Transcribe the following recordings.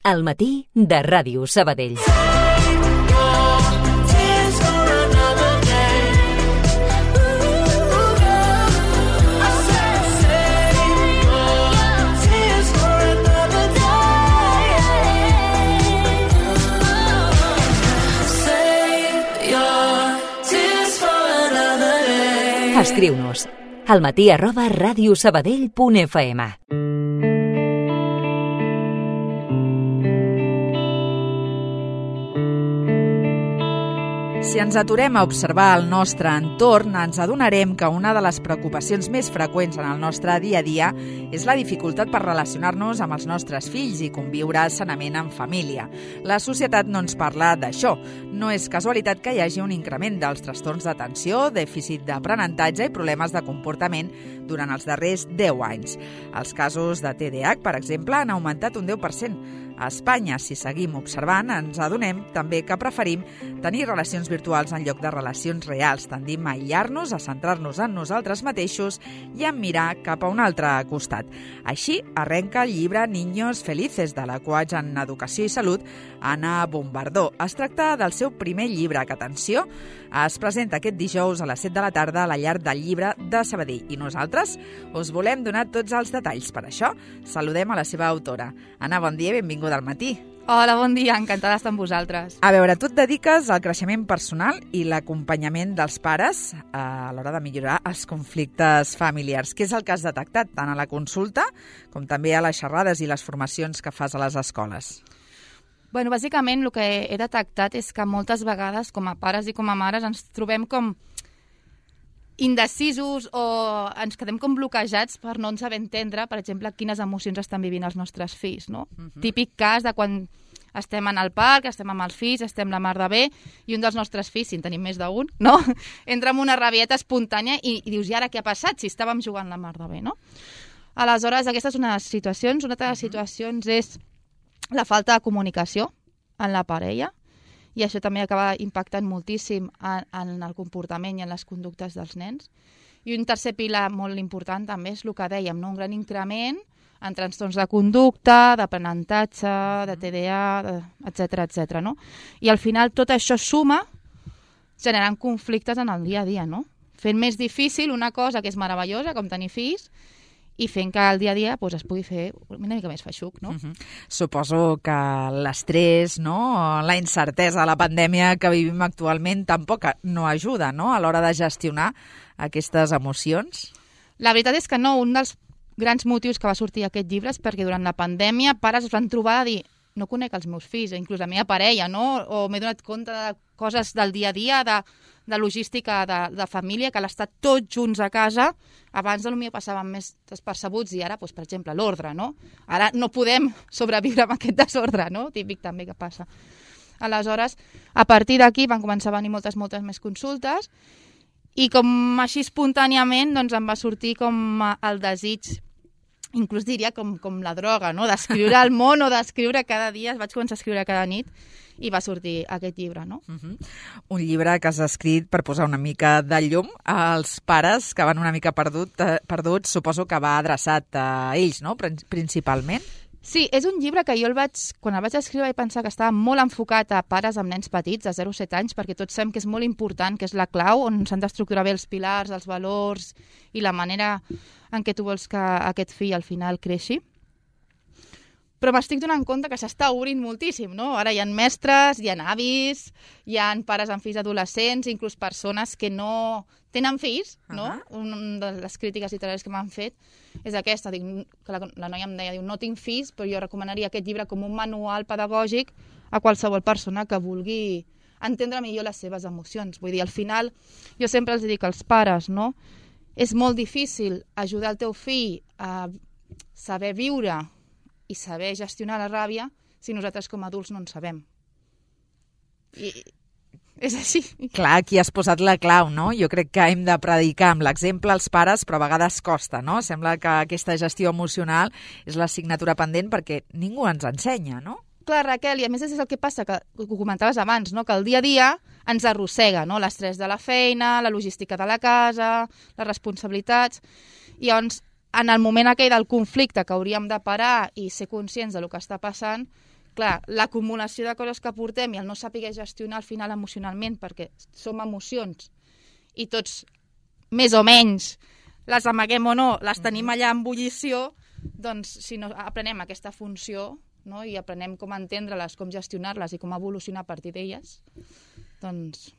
Al matí de Ràdio Sabadell. Escriu-nos almatí@radiosabadell.fm. Si ens aturem a observar el nostre entorn, ens adonarem que una de les preocupacions més freqüents en el nostre dia a dia és la dificultat per relacionar-nos amb els nostres fills i conviure sanament en família. La societat no ens parla d'això. No és casualitat que hi hagi un increment dels trastorns d'atenció, dèficit d'aprenentatge i problemes de comportament durant els darrers 10 anys. Els casos de TDAH, per exemple, han augmentat un 10%. A Espanya, si seguim observant, ens adonem també que preferim tenir relacions virtuals en lloc de relacions reals. Tendim a aïllar-nos, a centrar-nos en nosaltres mateixos i a mirar cap a un altre costat. Així arrenca el llibre Niños Felices, de la coach en Educació i Salut, Anna Bombardó. Es tracta del seu primer llibre, que, atenció, es presenta aquest dijous a les 7 de la tarda a la Llar del Llibre de Sabadell. I nosaltres us volem donar tots els detalls. Per això, saludem a la seva autora. Anna, bon dia i benvinguda al matí. Hola, bon dia, encantada d'estar amb vosaltres. A veure, tu et dediques al creixement personal i l'acompanyament dels pares a l'hora de millorar els conflictes familiars. Què és el que has detectat tant a la consulta com també a les xerrades i les formacions que fas a les escoles? Bueno, bàsicament el que he detectat és que moltes vegades, com a pares i com a mares, ens trobem com indecisos o ens quedem com bloquejats per no saber entendre, per exemple, quines emocions estan vivint els nostres fills, no? Típic cas de quan estem en el parc, estem amb els fills, estem la mar de bé, i un dels nostres fills, si en tenim més d'un, no? Entra amb una rabieta espontània i dius, i ara què ha passat si estàvem jugant la mar de bé, no? Aleshores, aquesta és una de les situacions. Una altra de les situacions és la falta de comunicació en la parella, i això també acaba impactant moltíssim en el comportament i en les conductes dels nens. I un tercer pilar molt important també és el que dèiem, no? Un gran increment en trastorns de conducta, d'aprenentatge, de TDA, etc., no? I al final tot això suma generant conflictes en el dia a dia, no? Fent més difícil una cosa que és meravellosa, com tenir fills, i fent que el dia a dia es pugui fer una mica més feixuc, no? Suposo que l'estrès, no? La incertesa de la pandèmia que vivim actualment tampoc no ajuda, no?, a l'hora de gestionar aquestes emocions. La veritat és que no. Un dels grans motius que va sortir aquest llibre és perquè durant la pandèmia pares es van trobar a dir no conec els meus fills, inclús la meva parella, no? O m'he donat compte de coses del dia a dia, de logística de família, que l'estar tots junts a casa, abans potser passaven més despercebuts i ara, doncs, per exemple, l'ordre, no? Ara no podem sobreviure amb aquest desordre, no? Típic també que passa. Aleshores, a partir d'aquí van començar a venir moltes més consultes i com així espontàniament doncs, em va sortir com el desig, inclús diria com la droga, no? D'escriure al món o d'escriure cada dia. Vaig començar a escriure cada nit i va sortir aquest llibre, no? Un llibre que has escrit per posar una mica de llum als pares que van una mica perduts. Suposo que va adreçat a ells, no?, principalment. Sí, és un llibre que jo quan el vaig escriure vaig pensar que estava molt enfocat a pares amb nens petits, de 0 a 7 anys, perquè tots sabem que és molt important, que és la clau on s'han d'estructurar bé els pilars, els valors i la manera en què tu vols que aquest fill al final creixi. Però m'estic donant compte que s'està obrint moltíssim, no? Ara hi ha mestres, hi ha avis, hi ha pares amb fills adolescents, inclús persones que no tenen fills, no? Una de les crítiques literàries que m'han fet és aquesta, que la noia em deia, no tinc fills, però jo recomanaria aquest llibre com un manual pedagògic a qualsevol persona que vulgui entendre millor les seves emocions. Vull dir, al final, jo sempre els dic als pares, no? És molt difícil ajudar el teu fill a saber viure i saber gestionar la ràbia si nosaltres com a adults no en sabem. I és així. Clar, aquí has posat la clau, no? Jo crec que hem de predicar amb l'exemple als pares, però a vegades costa, no? Sembla que aquesta gestió emocional és l'assignatura pendent perquè ningú ens ensenya, no? Clar, Raquel, i a més és el que passa, que ho comentaves abans, no? Que el dia a dia ens arrossega, no? L'estrès de la feina, la logística de la casa, les responsabilitats, i llavors en el moment aquell del conflicte que hauríem de parar i ser conscients del que està passant, clar, l'acumulació de coses que portem i el no saber gestionar al final emocionalment, perquè som emocions i tots, més o menys, les amaguem o no, les tenim allà en bullició, doncs si no aprenem aquesta funció, no? I aprenem com entendre-les, com gestionar-les i com evolucionar a partir d'elles, doncs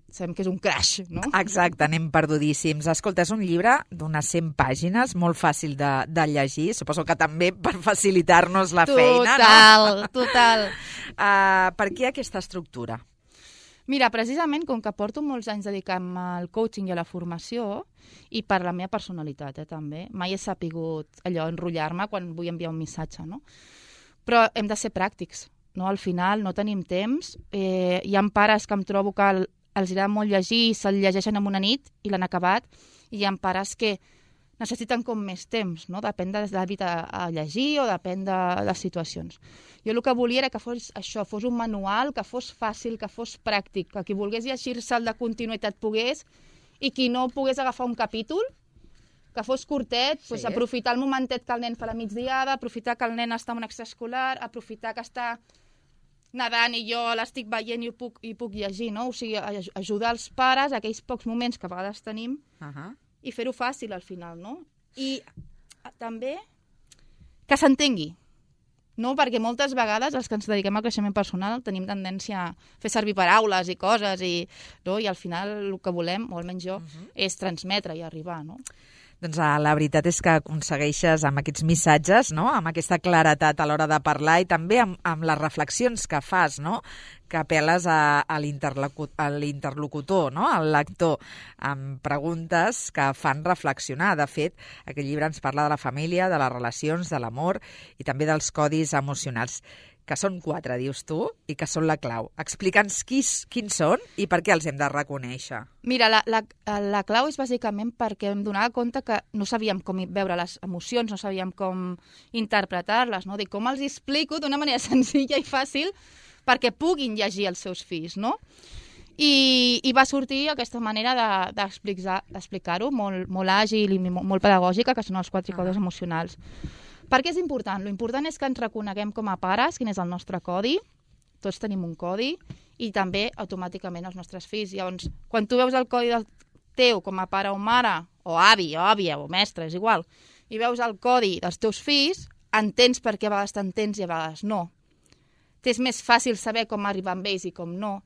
sabem que és un crash, no? Exacte, anem perdudíssims. Escolta, és un llibre d'unes 100 pàgines, molt fàcil de llegir, suposo que també per facilitar-nos la feina, no? Total. Per què aquesta estructura? Mira, precisament, com que porto molts anys dedicant al coaching i a la formació, i per la meva personalitat, també, mai he sapigut allò, enrotllar-me quan vull enviar un missatge, no? Però hem de ser pràctics, no? Al final no tenim temps. Hi ha pares que em trobo que els agrada molt llegir i se'l llegeixen en una nit i l'han acabat, i hi ha pares que necessiten com més temps, no? Depèn de l'hàbit a llegir o depèn de les situacions. Jo el que volia era que fos això, fos un manual, que fos fàcil, que fos pràctic, que qui volgués llegir-se'l de continuïtat pogués, i qui no pogués agafar un capítol, que fos curtet, sí. Doncs aprofitar el momentet que el nen fa la migdiada, aprofitar que el nen està en un extraescolar, aprofitar que està nedant i jo l'estic veient i puc llegir, no? O sigui, ajudar els pares a aquells pocs moments que a vegades tenim i fer-ho fàcil al final, no? I també que s'entengui, no? Perquè moltes vegades els que ens dediquem al creixement personal tenim tendència a fer servir paraules i coses no? I al final el que volem, o almenys jo, és transmetre i arribar, no? Doncs la veritat és que aconsegueixes amb aquests missatges, no? Amb aquesta claretat a l'hora de parlar i també amb les reflexions que fas, no? Que apel·les a l'interlocutor, no? Al lector, amb preguntes que fan reflexionar. De fet, aquest llibre ens parla de la família, de les relacions, de l'amor i també dels codis emocionals, que són 4, dius tu, i que són la clau. Explica'ns quins són i per què els hem de reconèixer. Mira, la clau és bàsicament perquè em donava compte que no sabíem com veure les emocions, no sabíem com interpretar-les, no? Dic, com els explico d'una manera senzilla i fàcil perquè puguin llegir els seus fills, no? I va sortir aquesta manera d'explicar-ho molt àgil i molt pedagògica, que són els 4 codis emocionals. Per què és important? L'important és que ens reconeguem com a pares quin és el nostre codi, tots tenim un codi, i també automàticament els nostres fills. Llavors, quan tu veus el codi del teu com a pare o mare, o avi, o àvia, o mestre, és igual, i veus el codi dels teus fills, entens per què a vegades t'entens i a vegades no. T'és més fàcil saber com arribar amb ells i com no.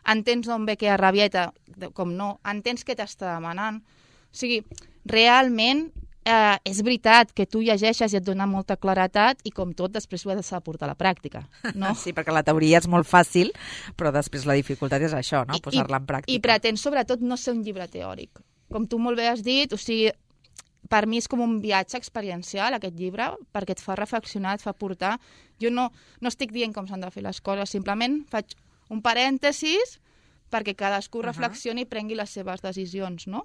Entens d'on ve aquella rabieta, com no. Entens què t'està demanant. O sigui, realment és veritat que tu llegeixes i et dona molta claretat i com tot després ho has de portar a la pràctica, no? Sí, perquè la teoria és molt fàcil, però després la dificultat és això, no? Posar-la en pràctica. I pretens sobretot no ser un llibre teòric. Com tu molt bé has dit, o sigui, per mi és com un viatge experiencial aquest llibre, perquè et fa reflexionar, et fa portar. Jo no estic dient com s'han de fer les coses, simplement faig un parèntesis perquè cadascú reflexioni i prengui les seves decisions, no?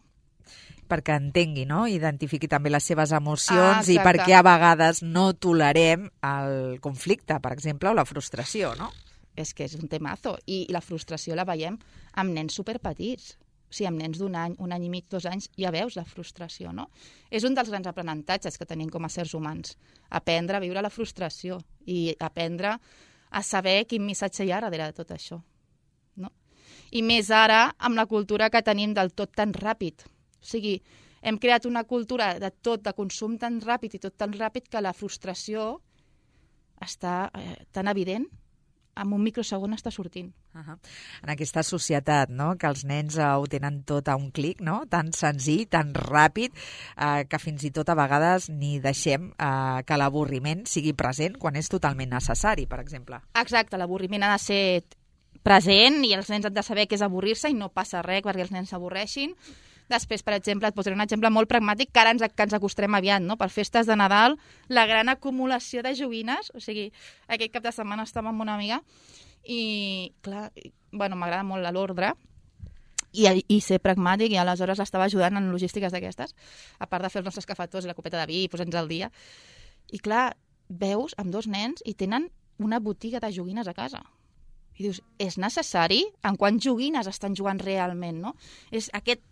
Perquè entengui, no? Identifiqui també les seves emocions i perquè a vegades no tolerem el conflicte, per exemple, o la frustració, no? És que és un temazo. I la frustració la veiem amb nens superpetits. O sigui, amb nens d'un any, 1 any i mig, 2 anys, ja veus la frustració, no? És un dels grans aprenentatges que tenim com a éssers humans. Aprendre a viure la frustració i aprendre a saber quin missatge hi ha darrere de tot això, no? I més ara amb la cultura que tenim del tot tan ràpid. O sigui, hem creat una cultura de tot, de consum tan ràpid i tot tan ràpid que la frustració està tan evident, en un microsegon està sortint. En aquesta societat, no?, que els nens ho tenen tot a un clic, no?, tan senzill, tan ràpid, que fins i tot a vegades ni deixem que l'avorriment sigui present quan és totalment necessari, per exemple. Exacte, l'avorriment ha de ser present i els nens han de saber què és avorrir-se i no passa res perquè els nens s'avorreixin. Després, per exemple, et posaré un exemple molt pragmàtic que ara ens acostarem aviat, no? Per festes de Nadal, la gran acumulació de joguines, o sigui, aquest cap de setmana estava amb una amiga i, clar, bueno, m'agrada molt l'ordre i ser pragmàtic, i aleshores l'estava ajudant en logístiques d'aquestes, a part de fer els nostres cafetons i la copeta de vi i posar-nos al dia. I, clar, veus amb 2 nens i tenen una botiga de joguines a casa. I dius, és necessari? En quants joguines estan jugant realment, no? És aquest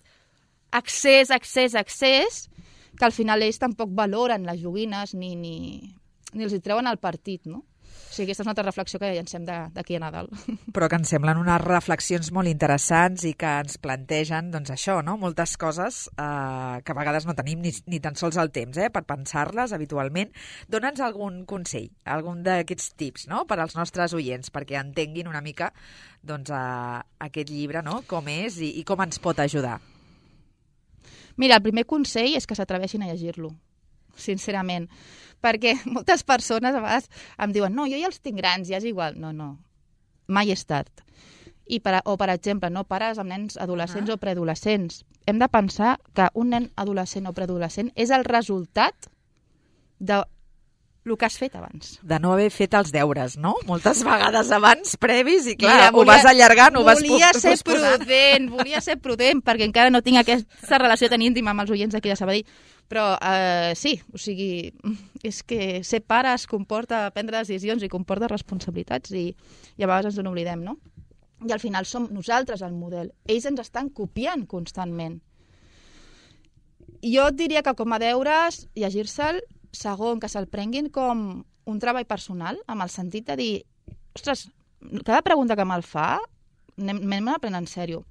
accés, que al final ells tampoc valoren les joguines ni els hi treuen el partit, no? O sigui, aquesta és una altra reflexió que llancem d'aquí a Nadal. Però que ens semblen unes reflexions molt interessants i que ens plantegen, doncs això, no? Moltes coses que a vegades no tenim ni tan sols el temps per pensar-les habitualment. Dóna'ns algun consell, algun d'aquests tips, no?, per als nostres oients, perquè entenguin una mica doncs, aquest llibre, no?, com és i com ens pot ajudar. Mira, el primer consell és que s'atreveixin a llegir-lo, sincerament. Perquè moltes persones a vegades em diuen no, jo ja els tinc grans, ja és igual. No, mai és tard. O, per exemple, no pares amb nens adolescents o preadolescents. Hem de pensar que un nen adolescent o preadolescent és el resultat de el que has fet abans. De no haver fet els deures, no? Moltes vegades abans, previs, i clar, ho vas allargant, ho vas posposant. Volia ser prudent, perquè encara no tinc aquesta relació tan íntima amb els oients d'aquí de Sabadell. Però sí, o sigui, és que ser pare es comporta prendre decisions i comporta responsabilitats i a vegades ens n'oblidem, no? I al final som nosaltres el model. Ells ens estan copiant constantment. Jo et diria que com a deures, llegir-se'l, segon, que se'l prenguin com un treball personal, amb el sentit de dir, ostres, cada pregunta que me'l fa, m'hem de prendre en sèrio.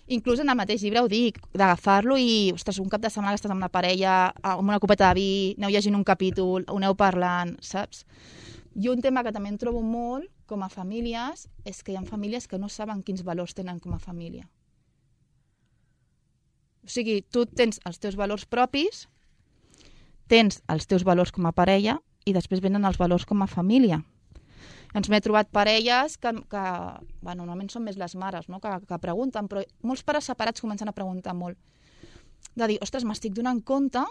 Inclús en el mateix llibre ho dic, d'agafar-lo i, ostres, un cap de setmana que estàs amb la parella, amb una copeta de vi, aneu llegint un capítol, ho aneu parlant, saps? I un tema que també em trobo molt, com a famílies, és que hi ha famílies que no saben quins valors tenen com a família. O sigui, tu tens els teus valors propis, tens els teus valors com a parella i després venen els valors com a família. Ens m'he trobat parelles que normalment són més les mares, no?, que pregunten, però molts pares separats comencen a preguntar molt. De dir, ostres, m'estic donant compte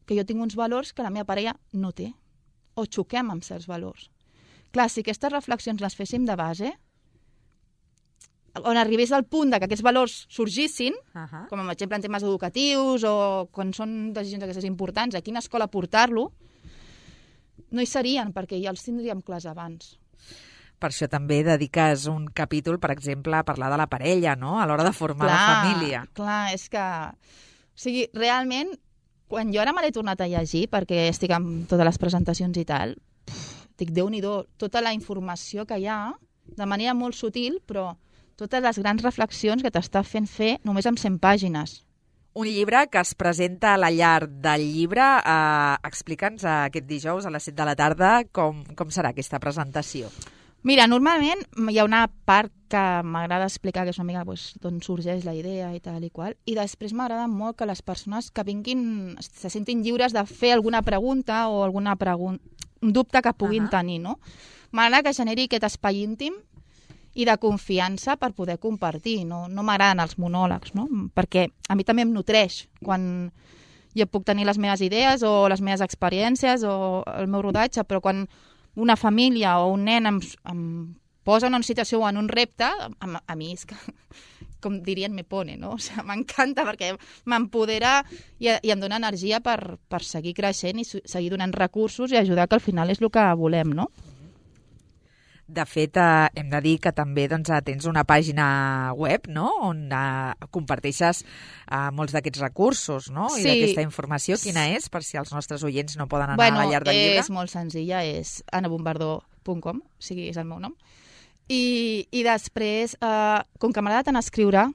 que jo tinc uns valors que la meva parella no té, o xoquem amb certs valors. Clar, si aquestes reflexions les féssim de base, on arribés al punt que aquests valors sorgissin, com per exemple en temes educatius o quan són decisions aquestes importants, a quina escola portar-lo, no hi serien, perquè ja els tindríem clars abans. Per això també dediques un capítol, per exemple, a parlar de la parella, no?, a l'hora de formar la família. Clar, és que... O sigui, realment, quan jo ara me l'he tornat a llegir, perquè estic amb totes les presentacions i tal, dic, Déu-n'hi-do, tota la informació que hi ha, de manera molt sutil, però totes les grans reflexions que t'està fent fer només amb 100 pàgines. Un llibre que es presenta a la llar del llibre. Explica'ns aquest dijous a les 7 de la tarda com serà aquesta presentació. Mira, normalment hi ha una part que m'agrada explicar, que és una mica d'on sorgeix la idea i tal i qual, i després m'agrada molt que les persones que vinguin se sentin lliures de fer alguna pregunta o un dubte que puguin tenir, no? M'agrada que generi aquest espai íntim i de confiança per poder compartir. No m'agraden els monòlegs, no? Perquè a mi també em nutreix quan jo puc tenir les meves idees o les meves experiències o el meu rodatge, però quan una família o un nen em posa en una situació o en un repte, a mi és que, com dirien, me pone, no? O sigui, m'encanta perquè m'empodera i em dona energia per seguir creixent i seguir donant recursos i ajudar, que al final és el que volem, no? De fet, hem de dir que també tens una pàgina web, no?, on comparteixes molts d'aquests recursos, no?, i d'aquesta informació. Quina és, per si els nostres oients no poden anar a la llar del llibre? És molt senzilla, és anabombardó.com, o sigui, és el meu nom. I després, com que m'agrada tant escriure,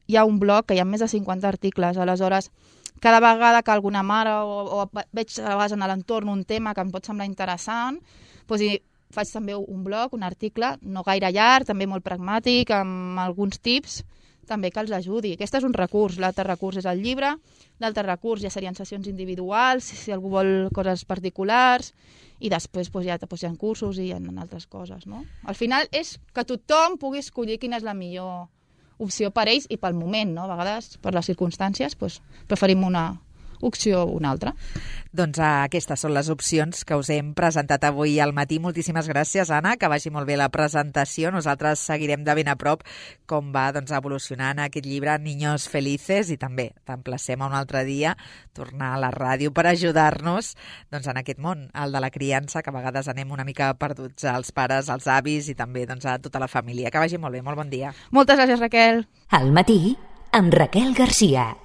hi ha un blog que hi ha més de 50 articles, aleshores cada vegada que alguna mare o veig a vegades en l'entorn un tema que em pot semblar interessant, doncs faig també un blog, un article, no gaire llarg, també molt pragmàtic, amb alguns tips també que els ajudi. Aquest és un recurs, l'altre recurs és el llibre, l'altre recurs ja serien sessions individuals, si algú vol coses particulars, i després ja hi ha cursos i hi ha altres coses, no? Al final és que tothom pugui escollir quina és la millor opció per ells i pel moment, no? A vegades, per les circumstàncies, preferim una opció o una altra. Doncs aquestes són les opcions que us hem presentat avui al matí. Moltíssimes gràcies, Anna, que vagi molt bé la presentació. Nosaltres seguirem de ben a prop com va evolucionant aquest llibre Niños Felices i també t'emplacem a un altre dia tornar a la ràdio per ajudar-nos en aquest món, el de la criança, que a vegades anem una mica perduts als pares, als avis i també a tota la família. Que vagi molt bé, molt bon dia. Moltes gràcies, Raquel. Al matí, amb Raquel Garcia.